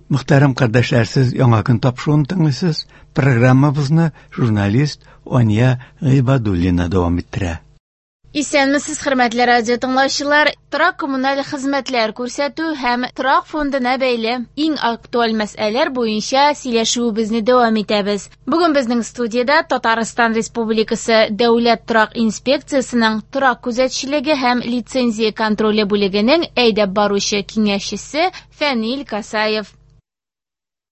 Мөхтәрәм кардәшләр, сез Яңа көн тапшыруын тыңлыйсыз. Программабызны журналист Ания Гыйбадуллина дәвам иттерә. Исәнмесез, хөрмәтле радио тыңлаучылар! Торак коммуналь хезмәтләр күрсәтү һәм торак фондына бәйле иң актуаль мәсьәләләр буенча сөйләшүебезне дәвам итәбез. Бүген безнең студиядә Татарстан Республикасы Дәүләт торак инспекциясенең торак күзәтчелеге һәм лицензия контроле бүлегенең әйдәп баручы киңәшчесе Фәнил Касаев.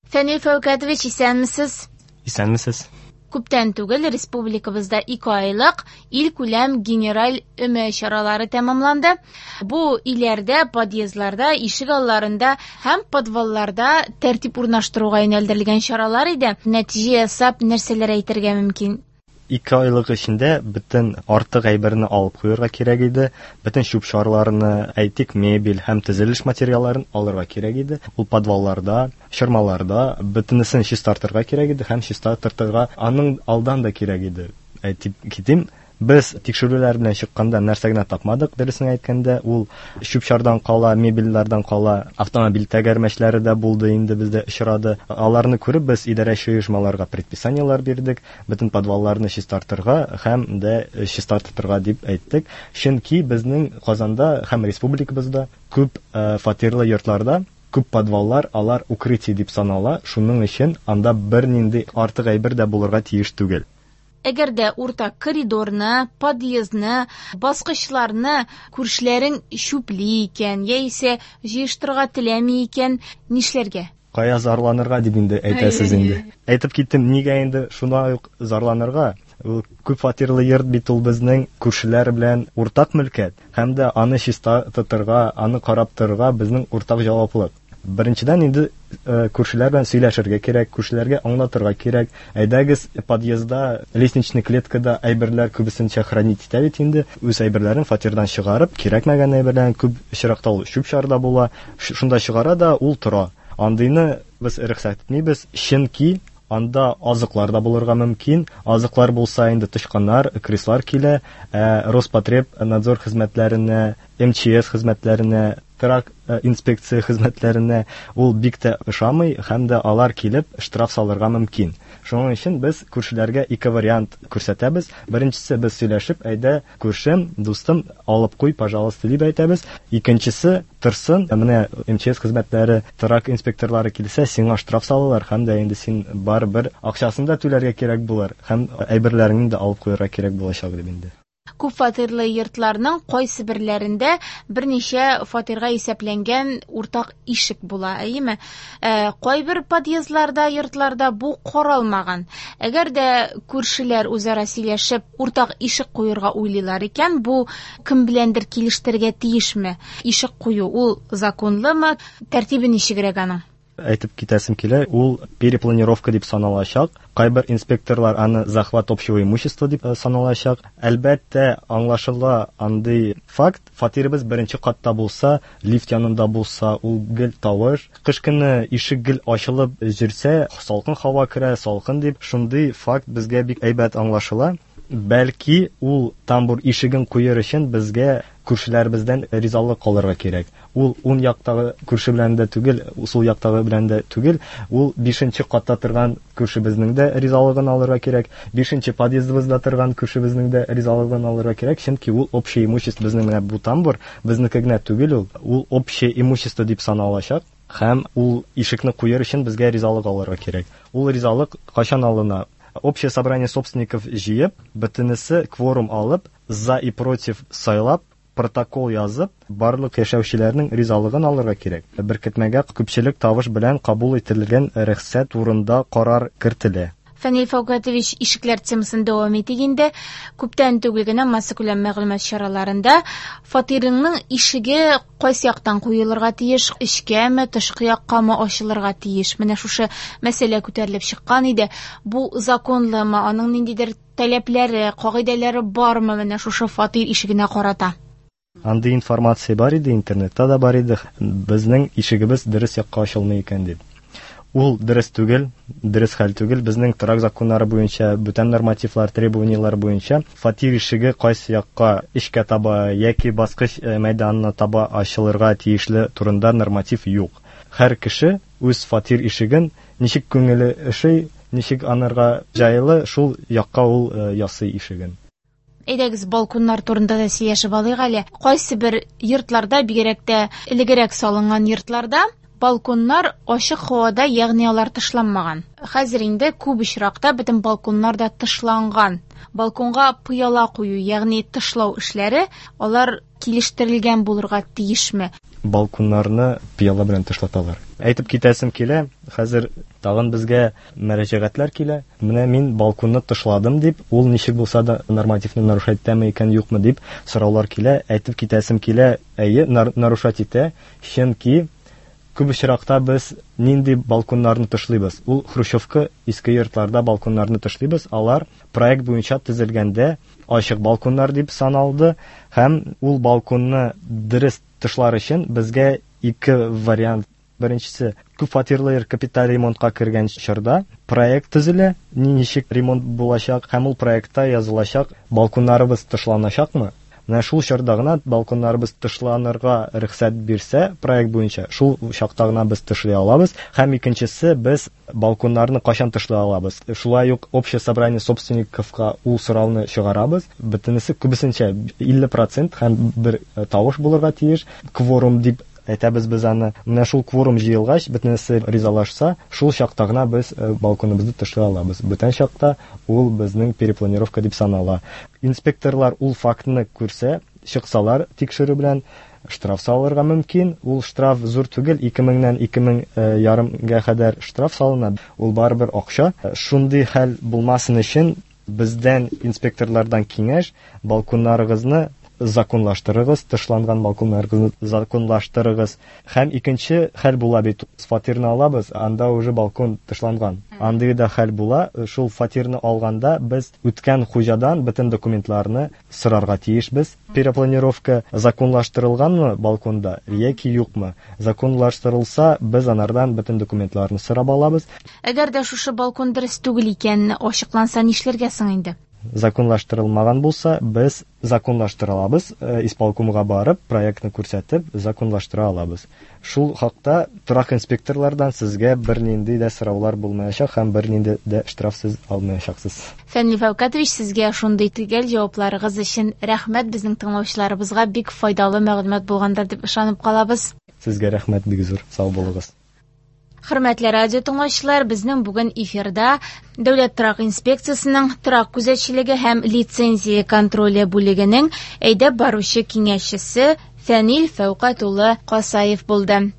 Фәнил Фәүкәтович, исәнмесез? Исәнмесез. Күптән түгел республикабызда 2 айлык илкүләм генераль өмә чаралары тәмамланды. Бу өйләрдә, подъездларда, ишек алларында һәм подвалларда тәртип урнаштыруга юнәлдерелгән чаралар иде. Нәтиҗә ясап, нәрсәләр әйтергә мөмкин? 2 айлык эчендә бөтен артык әйберне алып куярга кирәк иде. Бөтен чүп-чарларны, әйтик, мебель һәм төзелеш материалларын алырга кирәк иде. Ул подвалларда, чормаларда бөтенесен чистартырга кирәк иде һәм чистартырга аның алдан да кирәк иде. Әйтеп китим, без тикшерүләр белән чыкканда нәрсә генә тапмадык, дөресен әйткәндә, ул чүп-чардан кала, мебельләрдән кала, автомобиль тәгәрмәчләре дә булды инде бездә очрады. Аларны күреп без идарәче оешмаларга предписаниелар бирдек, бөтен подвалларны чистартырга һәм дә чистартырга дип әйттек. Чөнки безнең Казанда һәм республикабызда күп фатирлы йортларда күп подваллар, алар укрытие дип санала, шуның өчен анда бернинди артык әйбер дә булырга тиеш түгел. Әгәр дә уртак коридорны, подъездны, баскычларны күршеләрең чүпли икән, яисә җыештырырга теләми икән, нишләргә? Кая зарланырга дип инде әйтәсез инде. Әйтеп киттем, нигә инде шулай ук зарланырга? Ул күп фатирлы йорт бит ул безнең күршеләр белән уртак мөлкәт, һәм дә аны чиста тотырга, аны карап торырга безнең уртак җаваплык. Беренчедән инде күршеләр белән сөйләшергә кирәк, күршеләргә аңлатырга кирәк. Әйдәгез, подъездда, лестничный клеткада әйберләр күбесенчә хранить итә бит инде. Үз әйберләрен фатирдан чыгарып, кирәкмәгән әйберләрен күп очракта ул чүп-чар да була. Шунда чыгара да ул тора. Андыйны без рөхсәт итмибез, чөнки анда азыклар да булырга мөмкин. Азыклар булса инде тычканнар, крыслар килә. Ә Роспотребнадзор хезмәтләренә, МЧС хезмәтләренә, торак инспекция хезмәтләренә ул бик тә ошамый һәм дә алар килеп штраф салырга мөмкин. Шуның өчен без күршеләргә ике вариант күрсәтәбез. Беренчесе, без сөйләшеп, әйдә, күршем, дустым, алып куй, пожалуйста, дип әйтәбез. Икенчесе, торсын, менә МЧС хезмәтләре, торак инспекторлары килсә, сиңа штраф салалар һәм дә инде син барыбер акчасын да түләргә кирәк булыр һәм әйберләреңне дә алып куярга кирәк булачак дип инде. Күп фатирлы йортларның кайсы берләрендә берничә фатирга исәпләнгән уртак ишек була, әйеме? Кайбер подъездларда, йортларда бу каралмаган. Әгәр дә күршеләр үзара сөйләшеп уртак ишек куерга уйлыйлар икән, бу кем беләндер килештерергә тиешме? Ишек кую ул законлымы? Тәртибе ничегрәк аның? Әйтеп китәсем килә, ул перепланировка дип саналачак. Кайбер инспекторлар аны захват общего имущества дип саналачак. Әлбәттә, аңлашыла андый факт. Фатирыбыз беренче катта булса, лифт янында булса, ул гел тавыш. Кыш көне ишек гел ачылып йөрсә, салкын һава керә, салкын дип, шундый факт безгә бик әйбәт аңлашыла. Бәлки, ул тамбур ишеген куер өчен безгә күршеләребездән ризалык алырга кирәк. Ул уң яктагы күрше белән дә түгел, сул яктагы белән дә түгел, ул бишенче катта торган күршебезнең дә ризалыгын алырга кирәк, бишенче подъездыбызда торган күршебезнең дә ризалыгын алырга кирәк, чөнки ул общее имущество, безнең менә бу тамбур безнеке генә түгел ул, ул общее имущество дип саналачак. Һәм ул ишекне куер өчен безгә ризалык алырга кирәк. Ул ризалык кайчан алына? Общее собрание собственников җыеп, бөтенесе кворум алып, за и против сайлап, протокол язып, барлык яшәүчеләрнең ризалыгын алырга кирәк. Беркетмәгә күпчелек тавыш белән кабул ителгән рөхсәт турында карар кертелә. Фәнил Фәүкәтович, ишекләр темасын дәвам итик инде. Күптән түгел генә массакүләм мәгълүмат чараларында фатирыңның ишеге кайсы яктан куелырга тиеш, эчкәме, тышкы яккамы ачылырга тиеш? Менә шушы мәсьәлә күтәрелеп чыккан иде. Бу законлымы, аның ниндидер таләпләре, кагыйдәләре бармы менә шушы фатир ишегенә карата? Андый информация бар иде, интернетта да бар иде. Безнең ишегебез дөрес якка ачылмый икән дип. Ул дөрес түгел, дөрес хәл түгел. Безнең торак законнары буенча, бүтән нормативлар, требованиялар буенча фатир ишеге кайсы якка, эчкә таба яки баскыч мәйданына таба ачылырга тиешле турында норматив юк. Һәр кеше үз фатир ишеген ничек күңеле ошый, ничек анарга җайлы, шул якка ул ясый ишеген. Әйдәгез, балконнар турында да сөйләшеп алыйк әле. Кайсы бер йортларда, бигрәк тә элегрәк салынган йортларда, балконнар ачык һавада, ягъни алар тышланмаган. Хәзер инде күп очракта бөтен балконнар да тышланган. Балконга пыяла кую, ягъни тышлау эшләре, алар килештерелгән булырга тиешме? Балконнарны пыяла белән тышлаталар. Әйтеп китәсем килә, хәзер тагын безгә мөрәҗәгатьләр килә. Менә мин балконны тышладым дип, ул ничек булса да нормативны нарушать итәме икән, юкмы дип сораулар килә. Әйтеп китәсем килә, әйе, нарушать итә, чөнки күп очракта без нинди балконнарны тышлыйбыз? Ул хрущевка иске йортларда балконнарны тышлыйбыз. Алар проект буенча төзелгәндә ачык балконнар дип саналды һәм ул балконны дөрес тышлар өчен безгә ике вариант. Беренчесе, күп фатирлы йорт капиталь ремонтка кергән чорда проект төзелә, ничек ремонт булачак һәм ул проектта язылачак балконнарыбыз тышланачакмы? Менә шул чорда гына балконнарыбыз тышланырга рөхсәт бирсә проект буенча, шул чакта гына без тышлый алабыз. Һәм икенчесе, без балконнарны кайчан тышлый алабыз? Шулай ук общее собрание собственниковка ул сорауны чыгарабыз. Бөтенесе күбесенчә 50% һәм бер тавыш булырга тиеш. Кворум дип әйтәбез без аны. Менә шул кворум җыелгач, бөтенесе ризалашса, шул чакта гына без балконыбызны тышлый алабыз. Бүтән чакта ул безнең перепланировка дип санала. Инспекторлар ул фактны күрсә, чыксалар тикшерү белән штраф салырга мөмкин. Ул штраф зур түгел, ике меңнән ике мең ярымга кадәр штраф салына. Ул барыбер акча. Шундый хәл булмасын өчен бездән инспекторлардан киңәш, балконнарыгызны законлаштырыгыз, тышланган балконнарыгызны законлаштырыгыз. Һәм икенче хәл була бит, фатирны алабыз, анда уже балкон тышланган. Андый да хәл була, шул фатирны алганда без үткән хуҗадан бөтен документларны сорарга тиешбез. Перепланировка законлаштырылганмы балконда яки юкмы? Законлаштырылса, без анардан бөтен документларны сорап алабыз. Әгәр дә шушы балкон дөрес түгел икән, ачыкланса нишләргә соң инде? Законлаштырылмаган булса, без законлаштыра алабыз, исполкомга барып, проектны күрсәтеп, законлаштыра алабыз. Шул хакта торак инспекторлардан сезгә бернинди дә сораулар булмаячак һәм бернинди дә штраф сез алмаячаксыз. Фәнил Фәүкәтович, сезгә шундый төгәл җавапларыгыз өчен рәхмәт. Безнең тыңлаучыларыбызга бик файдалы мәгълүмат булгандыр дип ышанып калабыз. Сезгә рәхмәт бик зур. Сау булыгыз. Хөрмәтле радио тыңлаучылар, безнең бүген эфирда Дәүләт торак инспекциясенең торак күзәтчелеге һәм лицензия контроле бүлегенең әйдәп баручы киңәшчесе Фәнил Фәүкать улы Касаев булды.